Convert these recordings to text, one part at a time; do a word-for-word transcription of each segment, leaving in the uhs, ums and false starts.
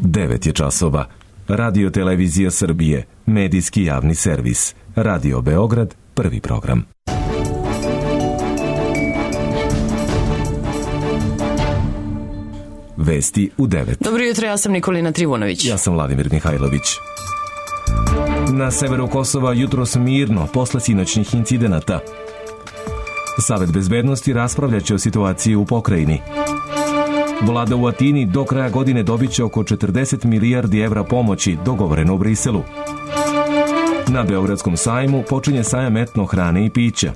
devet je časova. Radio Televizija Srbije, medijski javni servis. Radio Beograd, prvi program. Vesti u devet. Dobro jutro, ja sam Nikolina Trivunović. Ja sam Vladimir Mihajlović. Na severu Kosova jutros mirno posle sinoćnih incidenata. Savet bezbednosti raspravljaće o situaciji u pokrajini. Vlada u Atini do kraja godine dobiće oko četrdeset milijardi evra pomoći, dogovoreno u Briselu. Na Beogradskom sajmu počinje sajam etno hrane i pića.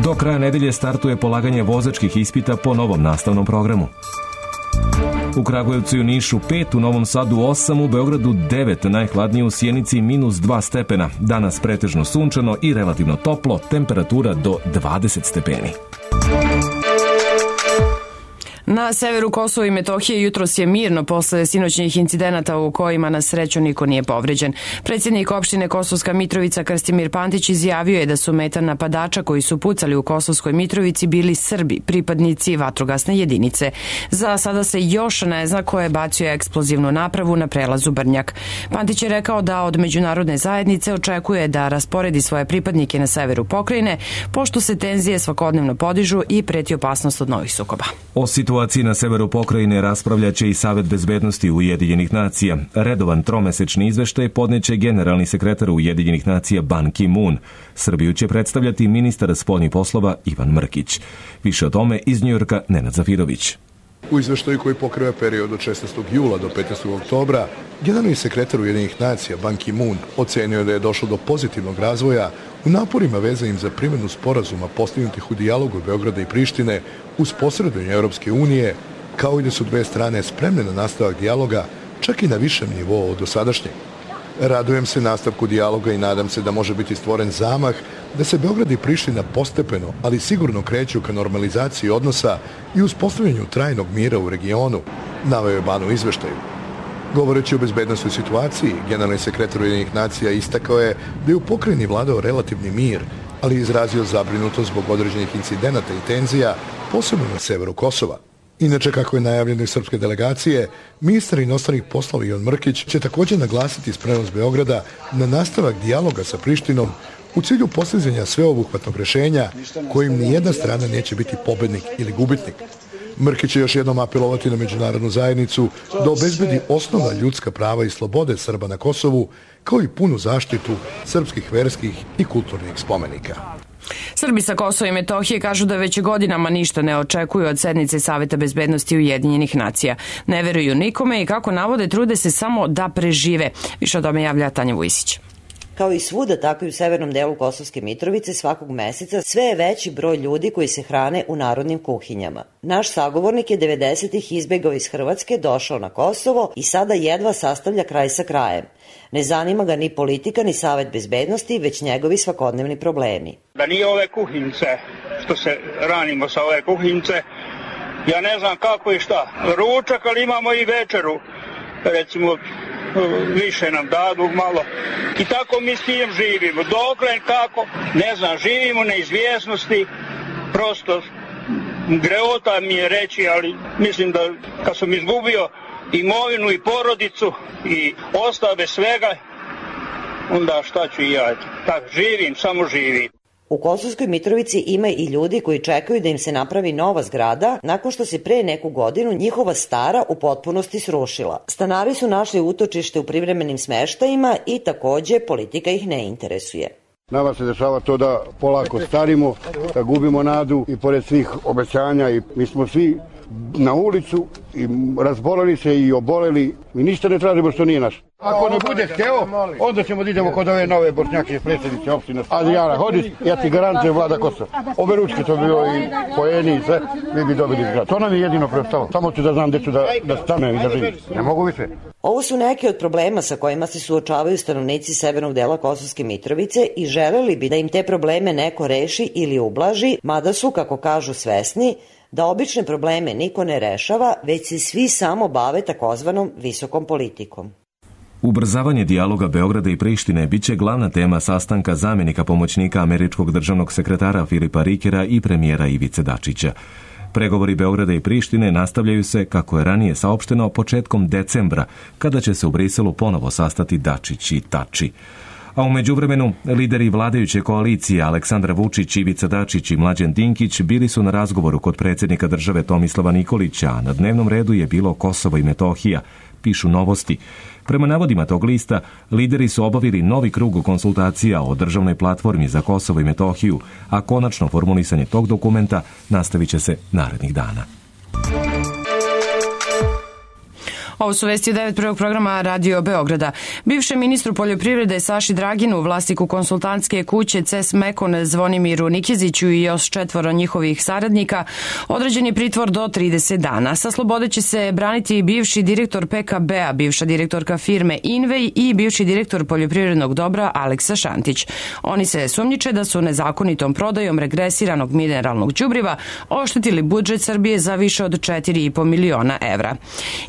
Do kraja nedelje startuje polaganje vozačkih ispita po novom nastavnom programu. U Kragujevcu i u Nišu pet, u Novom Sadu osam, u Beogradu devet, najhladnije u Sjenici minus dva stepena. Danas pretežno sunčano i relativno toplo, temperatura do dvadeset stepeni. Na severu Kosova i Metohije jutros je mirno posle sinoćnih incidenata u kojima na sreću niko nije povređen. Predsjednik opštine Kosovska Mitrovica Krstimir Pantić izjavio je da su meta napadača koji su pucali u Kosovskoj Mitrovici bili Srbi, pripadnici vatrogasne jedinice. Za sada se još ne zna ko je bacio eksplozivnu napravu na prelazu Brnjak. Pantić je rekao da od međunarodne zajednice očekuje da rasporedi svoje pripadnike na severu pokrajine, pošto se tenzije svakodnevno podižu i preti opasnost od novih sukoba. O situaciji na severu pokrajine raspravljaće i Savet bezbednosti Ujedinjenih nacija. Redovan tromesečni izveštaj podneće generalni sekretar Ujedinjenih nacija Ban Ki-moon. Srbiju će predstavljati ministar spoljnih poslova Ivan Mrkić. Više o tome iz Njujorka Nenad Zafirović. U izveštaju koji pokriva period od šesnaestog jula do petnaestog oktobra, generalni sekretar Ujedinjenih nacija Ban Ki-moon ocenio da je došlo do pozitivnog razvoja u naporima vezanim za primjenu sporazuma postignutih u dijalogu Beograda i Prištine uz posredovanje Europske unije, kao i da su dve strane spremne na nastavak dijaloga, čak i na višem nivou od dosadašnjeg. Radujem se nastavku dijaloga i nadam se da može biti stvoren zamah da se Beograd i Priština postepeno, ali sigurno kreću ka normalizaciji odnosa i uspostavljanju trajnog mira u regionu, naveo je Ban u izveštaju. Govoreći o bezbednostnoj situaciji, generalni sekretar Ujedinjenih nacija istakao je da je u pokrajini vladao relativni mir, ali je izrazio zabrinutost zbog određenih incidenata i tenzija, posebno na severu Kosova. Inače, kako je najavljeno iz srpske delegacije, ministar inostranih poslova Ivan Mrkić će također naglasiti spremnost Beograda na nastavak dijaloga sa Prištinom u cilju postizanja sveobuhvatnog rješenja kojim nijedna strana neće biti pobednik ili gubitnik. Mrkić će još jednom apelovati na međunarodnu zajednicu da obezbedi osnovna ljudska prava i slobode Srba na Kosovu, kao i punu zaštitu srpskih verskih i kulturnih spomenika. Srbi sa Kosova i Metohije kažu da već godinama ništa ne očekuju od sednice Saveta bezbednosti Ujedinjenih nacija. Ne veruju nikome i, kako navode, trude se samo da prežive. Više o tome javlja Tanja Vujsić. Kao i svuda, tako i u severnom delu Kosovske Mitrovice svakog meseca sve je veći broj ljudi koji se hrane u narodnim kuhinjama. Naš sagovornik je devedesetih izbegao iz Hrvatske, došao na Kosovo i sada jedva sastavlja kraj sa krajem. Ne zanima ga ni politika, ni Savet bezbednosti, već njegovi svakodnevni problemi. Da nije ove kuhinjice, što se ranimo sa ove kuhinjice, ja ne znam kako i šta. Ručak, ali imamo i večeru, recimo više nam dadu malo i tako mi s tim živimo. Dokle, kako, ne znam, živimo u neizvjesnosti, prosto greota mi je reći, ali mislim da kad sam izgubio imovinu i porodicu i ostao bez svega, onda šta ću i ja, tako živim, samo živim. U Kosovskoj Mitrovici ima i ljudi koji čekaju da im se napravi nova zgrada nakon što se pre neku godinu njihova stara u potpunosti srušila. Stanari su našli utočište u privremenim smeštajima i takođe politika ih ne interesuje. Nama se dešava to da polako starimo, da gubimo nadu i pored svih obećanja i mi smo svi na ulicu i razboleli se i oboleli i ništa ne tražimo što nije naš. Ako ne bude hteo, onda ćemo da idemo kod ove nove Bošnjake predsjednice opštine Adrijana Hodžić, ja ti garantujem Vlada Kosova. Ove ručke to bilo i poeni i sve, mi bi dobili zgrad. To nam je jedino preostalo. Samo ću da znam gde ću da, da stanem i da živim. Ne mogu više. Ovo su neki od problema sa kojima se suočavaju stanovnici severnog dela Kosovske Mitrovice i želeli bi da im te probleme neko reši ili ublaži, mada su, kako kažu, svesni da obične probleme niko ne rešava, već se svi samo bave takozvanom visokom politikom. Ubrzavanje dijaloga Beograda i Prištine biće glavna tema sastanka zamjenika pomoćnika američkog državnog sekretara Filipa Rikera i premijera Ivice Dačića. Pregovori Beograda i Prištine nastavljaju se, kako je ranije saopšteno, početkom decembra, kada će se u Briselu ponovo sastati Dačić i Tači. A u međuvremenu, lideri vladajuće koalicije Aleksandar Vučić, Ivica Dačić i Mlađan Dinkić bili su na razgovoru kod predsjednika države Tomislava Nikolića, a na dnevnom redu je bilo Kosovo i Metohija, pišu Novosti. Prema navodima tog lista, lideri su obavili novi krug konsultacija o državnoj platformi za Kosovo i Metohiju, a konačno formulisanje tog dokumenta nastavit će se narednih dana. Ovo su vesti u devet prvog programa Radio Beograda. Bivšem ministru poljoprivrede Saši Draginu, vlasniku konsultantske kuće C E S Mekon Zvonimiru Nikeziću i još četvoro njihovih saradnika, određen je pritvor do trideset dana. Sa slobode će se braniti bivši direktor P K B-a, bivša direktorka firme Invej i bivši direktor poljoprivrednog dobra Aleksa Šantić. Oni se sumnjiče da su nezakonitom prodajom regresiranog mineralnog đubriva oštetili budžet Srbije za više od četiri i po miliona evra.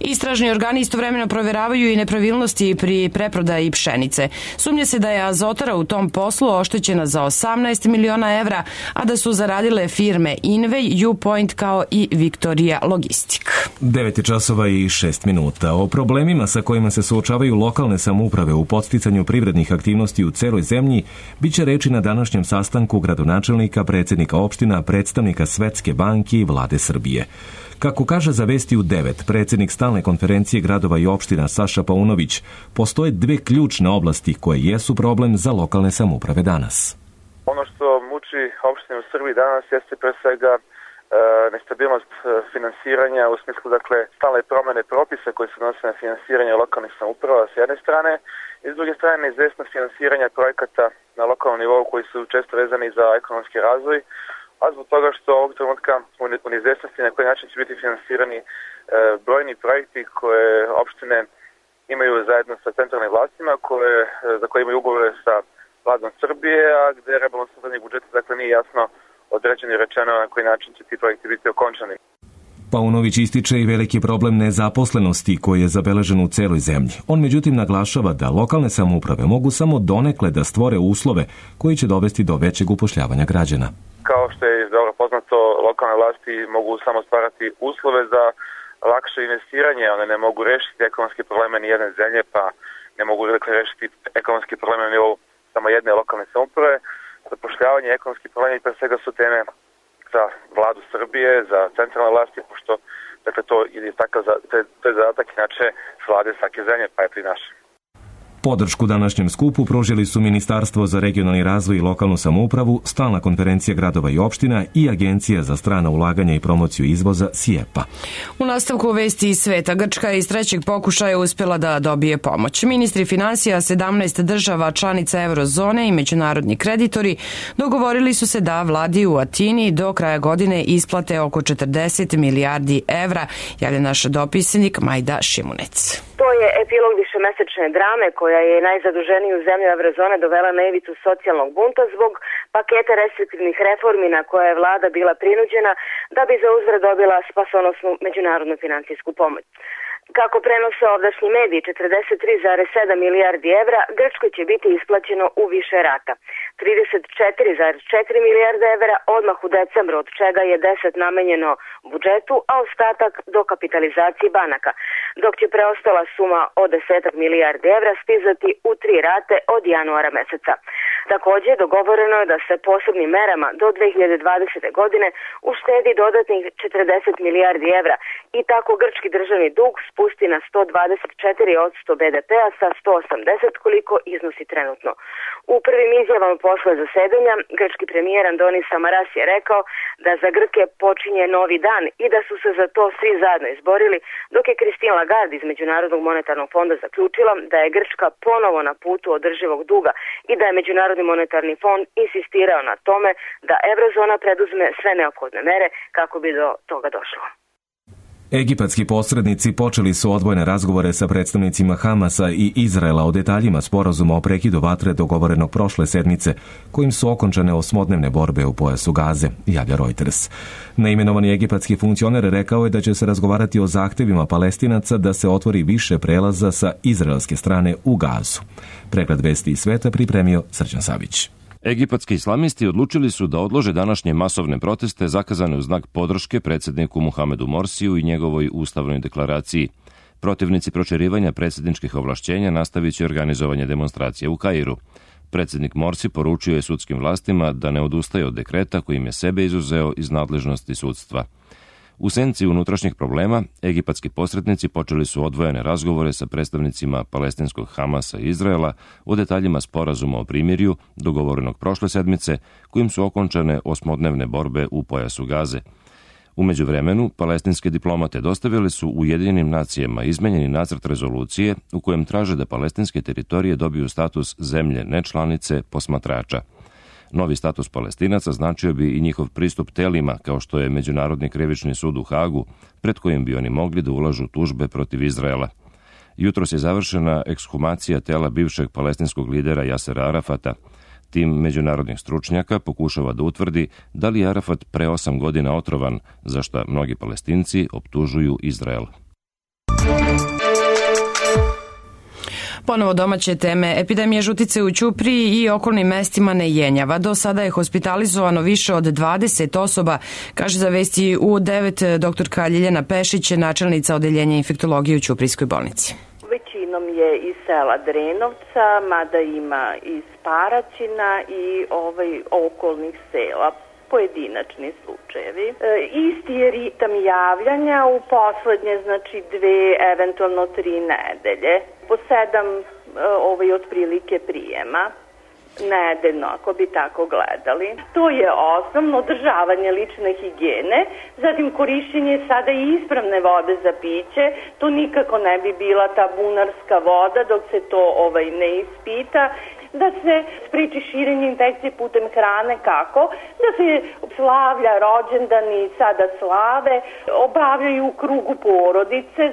Istražni organi istovremeno proveravaju i nepravilnosti pri preprodaji pšenice. Sumnje se da je Azotara u tom poslu oštećena za osamnaest miliona evra, a da su zaradile firme Invej, U-Point kao i Viktorija Logistik. devet časova i šest minuta. O problemima sa kojima se suočavaju lokalne samouprave u podsticanju privrednih aktivnosti u celoj zemlji biće reči na današnjem sastanku gradonačelnika, predsjednika opština, predstavnika Svetske banke i vlade Srbije. Kako kaže za Vesti u devet, predsjednik stalne konferencije gradova i opština Saša Paunović, postoje dve ključne oblasti koje jesu problem za lokalne samouprave danas. Ono što muči opštine u Srbiji danas jeste pre svega e, nestabilnost finansiranja u smislu, dakle, stalne promene propisa koji se odnose na finansiranje lokalnih samouprava s jedne strane i s druge strane neizvesnost finansiranja projekata na lokalnom nivou koji su često vezani za ekonomski razvoj, a zbog toga što ovog trenutka u neizvesnosti na koji način će biti finansirani e, brojni projekti koje opštine imaju zajedno sa centralnim vlastima, koje, za koje imaju ugovore sa vladom Srbije, a gde rebalansom zadnjeg budžeta, dakle, nije jasno određeno i rečeno na koji način će ti projekti biti okončani. Paunović ističe i veliki problem nezaposlenosti koji je zabeležen u celoj zemlji. On međutim naglašava da lokalne samouprave mogu samo donekle da stvore uslove koji će dovesti do većeg upošljavanja građana. Kao što je dobro poznato, lokalne vlasti mogu samo stvarati uslove za lakše investiranje, one ne mogu rešiti ekonomske probleme ni jedne zemlje, pa ne mogu dakle rešiti ekonomske probleme na nivou samo jedne lokalne samouprave. Zapošljavanje i ekonomski problemi pre svega su teme za vladu Srbije, za centralne vlasti, pošto dakle, to, je takav, to je zadatak inače vlade svake zemlje, pa eto i naše. Podršku današnjem skupu pružili su Ministarstvo za regionalni razvoj i lokalnu samoupravu, Stalna konferencija gradova i opština i Agencija za strana ulaganja i promociju izvoza SIEPA. U nastavku vesti iz sveta, Grčka je iz trećeg pokušaja uspjela da dobije pomoć. Ministri finansija sedamnaest država članica eurozone i međunarodni kreditori dogovorili su se da vladi u Atini do kraja godine isplate oko četrdeset milijardi evra, javlja naš dopisnik Majda Šimunec. To je epilog višemesečne drame koja je najzaduženiju zemlju eurozone dovela na ivicu socijalnog bunta zbog paketa restriktivnih reformi na koje je vlada bila prinuđena da bi za uzvrat dobila spasonosnu međunarodnu financijsku pomoć. Kako prenose ovdašnji mediji, četrdeset tri zarez sedam milijardi evra Grčkoj će biti isplaćeno u više rata. trideset četiri zarez četiri milijarde evra odmah u decembru, od čega je deset namenjeno budžetu, a ostatak do kapitalizacije banaka, dok će preostala suma od deset milijardi evra stizati u tri rate od januara meseca. Takođe, dogovoreno je da se posebnim merama do dve hiljade dvadesete. godine uštedi dodatnih četrdeset milijardi evra i tako grčki državni dug spusti na sto dvadeset četiri posto be de pea sa sto osamdeset koliko iznosi trenutno. U prvim izjavama posle zasedanja, grčki premijer Andonis Samaras je rekao da za Grke počinje novi dan i da su se za to svi zajedno izborili, dok je Christine Lagarde iz Međunarodnog monetarnog fonda zaključila da je Grčka ponovo na putu održivog duga i da je Međunarodni monetarni fond insistirao na tome da eurozona preduzme sve neophodne mere kako bi do toga došlo. Egipatski posrednici počeli su odvojene razgovore sa predstavnicima Hamasa i Izraela o detaljima sporazuma o prekidu vatre dogovorenog prošle sedmice, kojim su okončane osmodnevne borbe u pojasu Gaze, javlja Reuters. Neimenovani egipatski funkcioner rekao je da će se razgovarati o zahtevima Palestinaca da se otvori više prelaza sa izraelske strane u Gazu. Pregled vesti iz sveta pripremio Srđan Savić. Egipatski islamisti odlučili su da odlože današnje masovne proteste zakazane u znak podrške predsjedniku Muhamedu Morsiju i njegovoj ustavnoj deklaraciji. Protivnici proširivanja predsjedničkih ovlašćenja nastavit će organizovanje demonstracije u Kairu. Predsjednik Morsi poručio je sudskim vlastima da ne odustaje od dekreta kojim je sebe izuzeo iz nadležnosti sudstva. U senci unutrašnjih problema, egipatski posrednici počeli su odvojene razgovore sa predstavnicima palestinskog Hamasa i Izraela o detaljima sporazuma o primirju, dogovorenog prošle sedmice, kojim su okončane osmodnevne borbe u pojasu Gaze. U međuvremenu, palestinske diplomate dostavili su Ujedinjenim nacijama izmenjeni nacrt rezolucije u kojem traže da palestinske teritorije dobiju status zemlje nečlanice posmatrača. Novi status Palestinaca značio bi i njihov pristup telima, kao što je Međunarodni krivični sud u Hagu, pred kojim bi oni mogli da ulažu tužbe protiv Izraela. Jutros je završena ekshumacija tela bivšeg palestinskog lidera Jasera Arafata. Tim međunarodnih stručnjaka pokušava da utvrdi da li je Arafat pre osam godina otrovan, za šta mnogi Palestinci optužuju Izrael. Ponovo domaće teme. Epidemija žutice u Ćupriji i okolnim mestima ne jenjava. Do sada je hospitalizovano više od dvadeset osoba, kaže za Vesti U devet doktorka Ljiljana Pešić, načelnica odeljenja infektologije u Ćuprijskoj bolnici. Većinom je iz sela Drenovca, mada ima iz Paraćina i ovaj okolnih sela. Pojedinačni slučajevi. E, isti je ritam javljanja u poslednje, znači dve, eventualno tri nedelje. Po sedam e, ovaj, otprilike prijema nedeljno, ako bi tako gledali. To je osnovno održavanje lične higijene, zatim korišćenje sada i ispravne vode za piće. To nikako ne bi bila ta bunarska voda dok se to ovaj, ne ispita. Da se spriči širenje infekcije putem hrane, kako? Da se slavlja rođendani, sada slave, obavljaju u krugu porodice.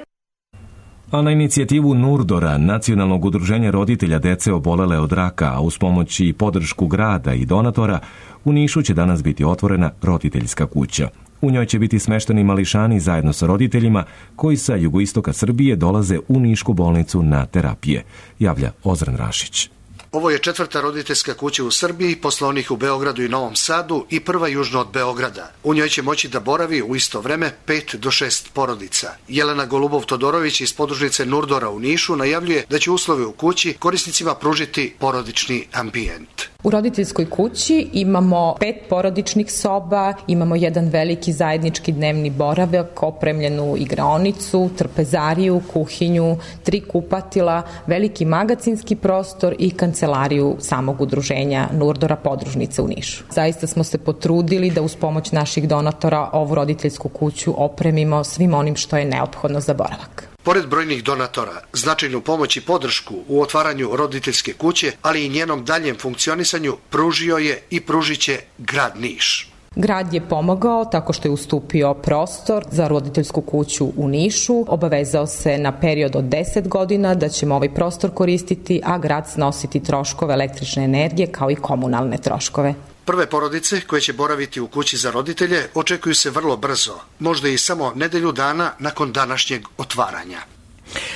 A na inicijativu Nurdora, nacionalnog udruženja roditelja dece obolele od raka, a uz pomoć i podršku grada i donatora, u Nišu će danas biti otvorena roditeljska kuća. U njoj će biti smešteni mališani zajedno sa roditeljima koji sa jugoistoka Srbije dolaze u Nišku bolnicu na terapije, javlja Ozren Rašić. Ovo je četvrta roditeljska kuća u Srbiji, posle onih u Beogradu i Novom Sadu i prva južno od Beograda. U njoj će moći da boravi u isto vreme pet do šest porodica. Jelena Golubov-Todorović iz podružnice Nurdora u Nišu najavljuje da će uslove u kući korisnicima pružiti porodični ambijent. U roditeljskoj kući imamo pet porodičnih soba, imamo jedan veliki zajednički dnevni boravak, opremljenu igraonicu, trpezariju, kuhinju, tri kupatila, veliki magacinski prostor i kancelariju samog udruženja Nurdora podružnice u Nišu. Zaista smo se potrudili da uz pomoć naših donatora ovu roditeljsku kuću opremimo svim onim što je neophodno za boravak. Pored brojnih donatora, značajnu pomoć i podršku u otvaranju roditeljske kuće, ali i njenom daljem funkcionisanju pružio je i pružiće grad Niš. Grad je pomogao tako što je ustupio prostor za roditeljsku kuću u Nišu, obavezao se na period od deset godina da ćemo ovaj prostor koristiti, a grad snositi troškove električne energije kao i komunalne troškove. Prve porodice koje će boraviti u kući za roditelje očekuju se vrlo brzo, možda i samo nedelju dana nakon današnjeg otvaranja.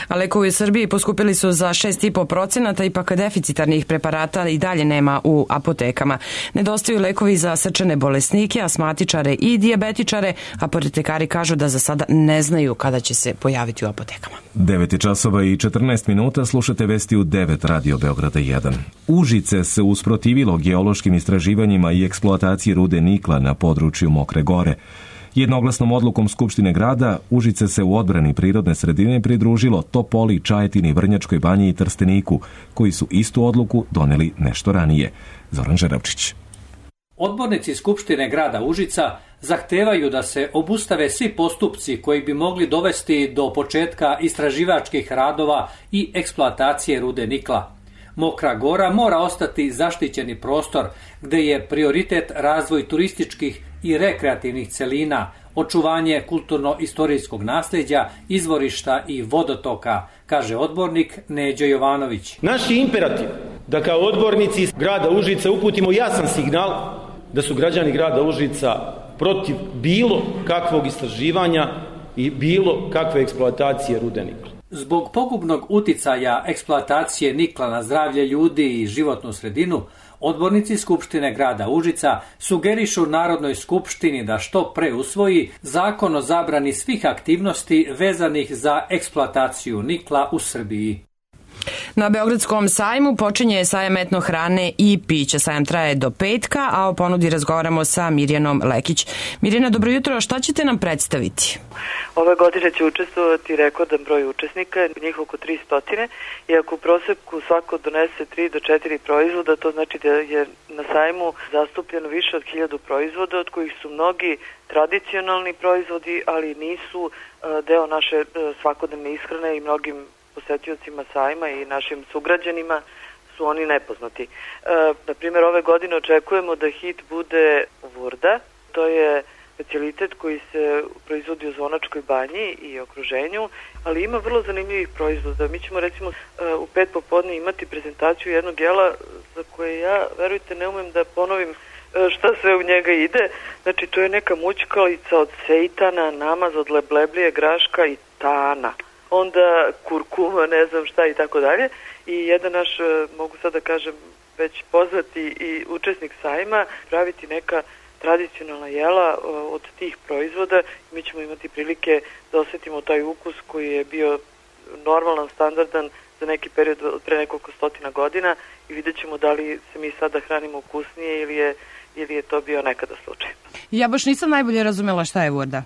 A lekovi u Srbiji poskupili su za šest zarez pet procenata, ipak deficitarnih preparata i dalje nema u apotekama. Nedostaju lekovi za srčane bolesnike, asmatičare i dijabetičare, a apotekari kažu da za sada ne znaju kada će se pojaviti u apotekama. devet časova i četrnaest minuta, slušate Vesti u devet Radio Beograda jedan. Užice se usprotivilo geološkim istraživanjima i eksploataciji rude nikla na području Mokre Gore. Jednoglasnom odlukom Skupštine grada Užice se u odbrani prirodne sredine pridružilo Topoli, Čajetini, Vrnjačkoj Banji i Trsteniku, koji su istu odluku doneli nešto ranije. Zoran Žeravčić. Odbornici Skupštine grada Užica zahtevaju da se obustave svi postupci koji bi mogli dovesti do početka istraživačkih radova i eksploatacije rude nikla. Mokra Gora mora ostati zaštićeni prostor gde je prioritet razvoj turističkih i rekreativnih celina, očuvanje kulturno-istorijskog nasljeđa, izvorišta i vodotoka, kaže odbornik Neđo Jovanović. Naš je imperativ da kao odbornici grada Užica uputimo jasan signal da su građani grada Užica protiv bilo kakvog istraživanja i bilo kakve eksploatacije rude nikla. Zbog pogubnog uticaja eksploatacije nikla na zdravlje ljudi i životnu sredinu, Odbornici Skupštine grada Užica sugerišu Narodnoj skupštini da što pre usvoji zakon o zabrani svih aktivnosti vezanih za eksploataciju nikla u Srbiji. Na Beogradskom sajmu počinje sajam etno hrane i pića. Sajam traje do petka, a o ponudi razgovaramo sa Mirjanom Lekić. Mirjana, dobro jutro, šta ćete nam predstaviti? Ove godine će učestvovati rekordan broj učesnika, njih oko tristo, i ako u proseku svako donese tri do četiri proizvoda, to znači da je na sajmu zastupljeno više od hiljadu proizvoda, od kojih su mnogi tradicionalni proizvodi, ali nisu deo naše svakodnevne ishrane i mnogim posetiocima sajma i našim sugrađanima su oni nepoznati. E, na primjer, ove godine očekujemo da hit bude vurda. To je specijalitet koji se proizvodi u Zvonačkoj banji i okruženju, ali ima vrlo zanimljivih proizvoda. Mi ćemo recimo u pet popodne imati prezentaciju jednog jela za koje ja, verujte, ne umem da ponovim šta sve u njega ide. Znači, to je neka mućkalica od sejtana, namaz od lebleblije, graška i tana. Onda kurkuma, ne znam šta i tako dalje. I jedan naš, mogu sad da kažem, već poznati i učesnik sajma, praviti neka tradicionalna jela od tih proizvoda. Mi ćemo imati prilike da osetimo taj ukus koji je bio normalan, standardan za neki period pre nekoliko stotina godina i vidjet ćemo da li se mi sada hranimo ukusnije ili je, ili je to bio nekada slučaj. Ja baš nisam najbolje razumela šta je vurda.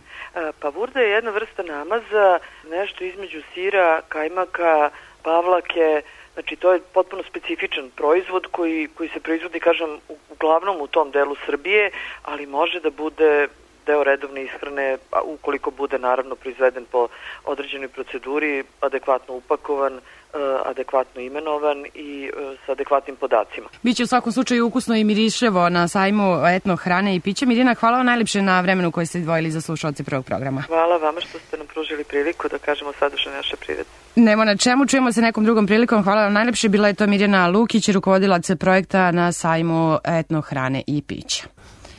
Pa vurda je jedna vrsta namaza, nešto između sira, kajmaka, pavlake. Znači, to je potpuno specifičan proizvod koji, koji se proizvodi, kažem, uglavnom u tom delu Srbije, ali može da bude deo redovne ishrane, ukoliko bude naravno proizveden po određenoj proceduri, adekvatno upakovan, adekvatno imenovan i sa adekvatnim podacima. Biće u svakom slučaju ukusno i miriševo na sajmu etno hrane i pića. Mirjana, hvala vam najlepše na vremenu koje ste izdvojili za slušalce prvog programa. Hvala vama što ste nam pružili priliku da kažemo sadržaj naše priredbe. Nemo na čemu, čujemo se nekom drugom prilikom. Hvala vam najlepše. Bila je to Mirjana Lukić, rukovodilac projekta na sajmu etno hrane i pića.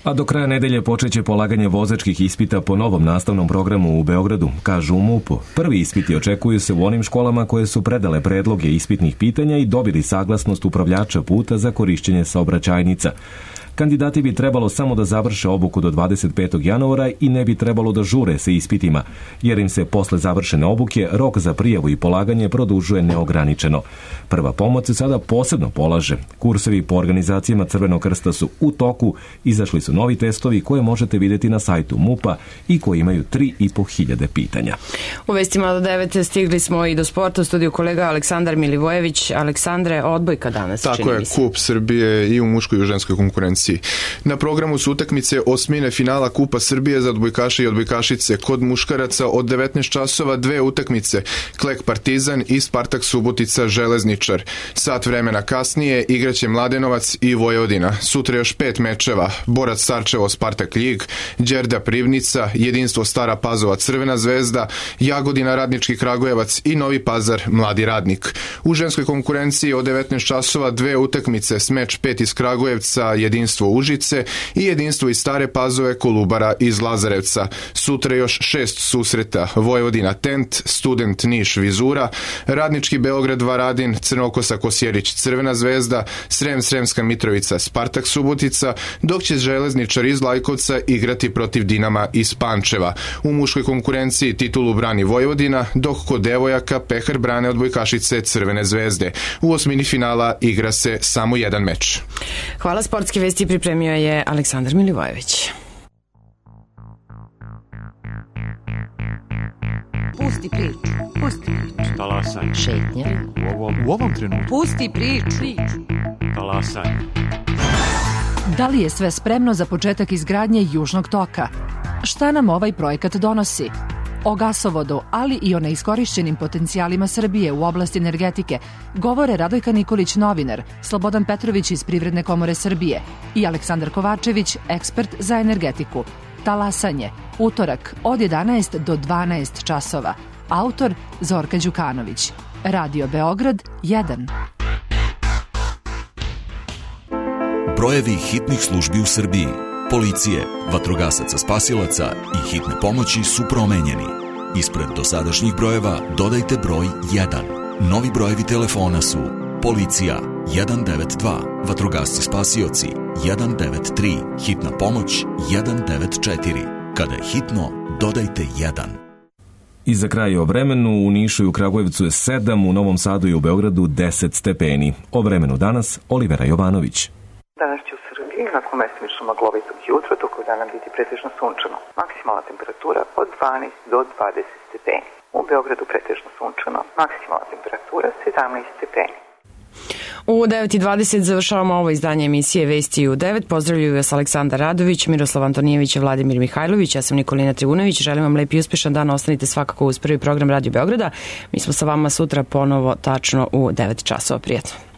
A do kraja nedelje počeće polaganje vozačkih ispita po novom nastavnom programu u Beogradu, kažu u MUP-u. Prvi ispiti očekuju se u onim školama koje su predale predloge ispitnih pitanja i dobili saglasnost upravljača puta za korišćenje saobraćajnica. Kandidati bi trebalo samo da završe obuku do dvadeset petog januara i ne bi trebalo da žure sa ispitima, jer im se posle završene obuke rok za prijavu i polaganje produžuje neograničeno. Prva pomoć se sada posebno polaže. Kursevi po organizacijama Crvenog krsta su u toku, izašli su novi testovi koje možete vidjeti na sajtu MUP-a i koji imaju tri i po hiljade pitanja. U vestima do devet stigli smo i do sporta. U studiju kolega Aleksandar Milivojević. Aleksandre, odbojka danas. Tako je, kup Srbije i u muškoj i u ženskoj konkurenciji. Na programu su utakmice osmine finala Kupa Srbije za odbojkaše i odbojkašice. Kod muškaraca od devetnaest časova dve utakmice, Klek Partizan i Spartak Subotica Železničar. Sat vremena kasnije igraće Mladenovac i Vojvodina. Sutra još pet mečeva, Borac Sarčevo Spartak Ljig, Đerda Privnica, Jedinstvo Stara Pazova Crvena zvezda, Jagodina Radnički Kragujevac i Novi Pazar Mladi Radnik. U ženskoj konkurenciji od devetnaest časova dve utakmice, Smeč pet iz Kragujevca, Jedinstvo Užice i Jedinstvo iz Stare Pazove Kolubara iz Lazarevca. Sutra još šest susreta, Vojvodina Tent, Student Niš Vizura, Radnički Beograd Varadin, Crnokosa Kosjerić Crvena zvezda, Srem Sremska Mitrovica Spartak Subotica, dok će Železničar iz Lajkovca igrati protiv Dinama iz Pančeva. U muškoj konkurenciji titulu brani Vojvodina, dok kod devojaka Pehar brane odbojkašice Crvene zvezde. U osmini finala igra se samo jedan meč. Hvala, sportske vesti pripremio je Aleksandar Milivojević. Pusti priču, pusti priču. Talasaj. Šetnja. U ovom, u ovom trenutku. Pusti priču. Talasaj. Da li je sve spremno za početak izgradnje Južnog toka? Šta nam ovaj projekat donosi? O gasovodu, ali i o neiskorišćenim potencijalima Srbije u oblasti energetike govore Radojka Nikolić, novinar, Slobodan Petrović iz Privredne komore Srbije i Aleksandar Kovačević, ekspert za energetiku. Talasanje, utorak od jedanaest do dvanaest časova. Autor Zorka Đukanović. Radio Beograd jedan. Brojevi hitnih službi u Srbiji, policije, vatrogasaca spasilaca i hitne pomoći su promenjeni. Ispred dosadašnjih brojeva dodajte broj jedan. Novi brojevi telefona su Policija jedan devet dva, vatrogasci spasioci jedan devet tri, hitna pomoć jedan devet četiri. Kada je hitno, dodajte jedan. I za kraj o vremenu, u Nišu i u Kragujevcu je sedam, u Novom Sadu i u Beogradu deset stepeni. O vremenu danas Olivera Jovanović. Danas će u Srbiji nakon mestimično maglovitog jutra tokom dana biti pretežno sunčano. Maksimalna temperatura od dvanaest do dvadeset stepeni. U Beogradu pretežno sunčano, maksimalna temperatura sedamnaest stepeni. U devet i dvadeset završavamo ovo izdanje emisije Vesti u devet. Pozdravljuju vas Aleksandar Radović, Miroslav Antonijević i Vladimir Mihajlović. Ja sam Nikolina Trivunović. Želim vam lep i uspešan dan. Ostanite svakako uz prvi program Radio Beograda. Mi smo sa vama sutra ponovo tačno u devet časova. Prijetno.